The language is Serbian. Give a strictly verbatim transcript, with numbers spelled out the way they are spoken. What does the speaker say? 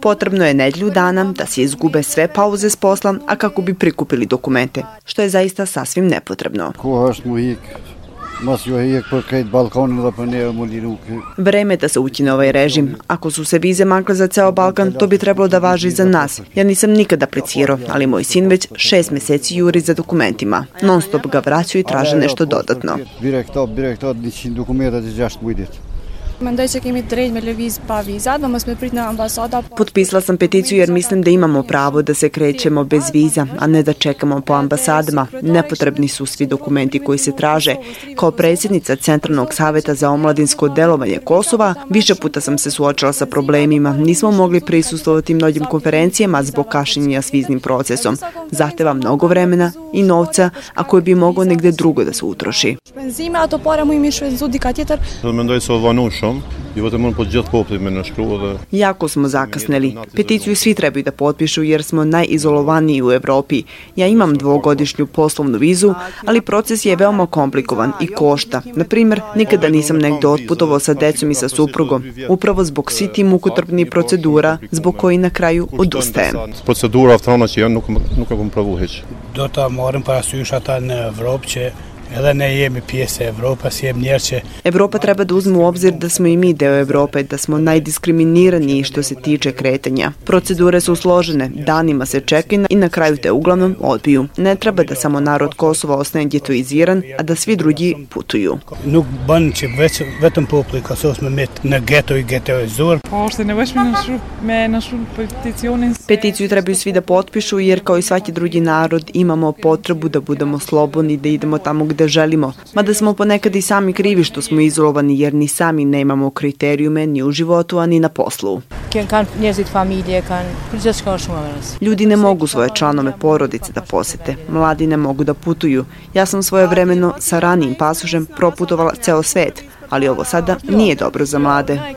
Potrebno je nedjelju dana da se izgube sve pauze s posla, a kako bi prikupili dokumente, što je zaista sasvim nepotrebno. Vreme da se ukine ovaj režim. Ako su se vize makle za ceo Balkan, to bi trebalo da važi i za nas. Ja nisam nikad aplicirao, ali moj sin već šest meseci juri za dokumentima. Non stop ga vraćaju i traže nešto dodatno. Potpisala sam peticiju jer mislim da imamo pravo da se krećemo bez viza, a ne da čekamo po ambasadama. Nepotrebni su svi dokumenti koji se traže. Kao predsjednica Centralnog saveta za omladinsko delovanje Kosova, više puta sam se suočila sa problemima. Nismo mogli prisustvovati mnogim konferencijama zbog kašnjenja s viznim procesom. Zahteva mnogo vremena i novca, a koji bi mogao negde drugo da se utroši. Jako smo zakasnili. Peticiju svi trebaju da potpišu jer smo najizolovaniji u Evropi. Ja imam dvogodišnju poslovnu vizu, ali proces je veoma komplikovan i košta. Na primjer, nikada nisam negde otputovao sa decom i sa suprugom, upravo zbog svih tih mukotrpnih procedura, zbog koji na kraju odustajem. Evropa treba da uzme u obzir da smo i mi deo Evrope, da smo najdiskriminiraniji što se tiče kretanja. Procedure su složene, danima se čeka i na kraju te uglavnom odbiju. Ne treba da samo narod Kosova ostane getoiziran, a da svi drugi putuju. Peticiju trebaju svi da potpišu jer kao i svaki drugi narod imamo potrebu da budemo slobodni, da idemo tamo gde želimo. Mada smo ponekad i sami krivi što smo izolovani jer ni sami nemamo kriterijume ni u životu, a ni na poslu. Ljudi ne mogu svoje članove porodice da posete. Mladi ne mogu da putuju. Ja sam svojevremeno sa ranijim pasošem proputovala ceo svet, ali ovo sada nije dobro za mlade.